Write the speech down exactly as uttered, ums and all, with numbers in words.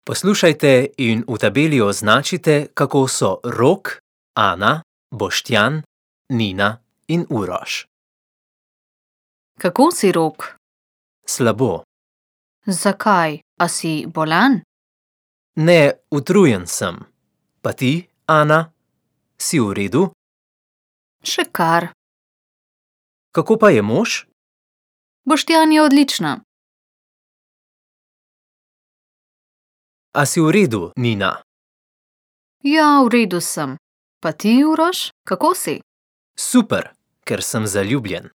Poslušajte in v tabeli označite, kako so Rok, Ana, Boštjan, Nina in Uroš. Kako si, Rok? Slabo. Zakaj? A si bolan? Ne, utrujen sem. Pa ti, Ana? Si v redu? Še kar. Kako pa je mož? Boštjan je odlična. A si v redu, Nina? Ja, v redu sem. Pa ti, Uroš, kako si? Super, ker sem zaljubljen.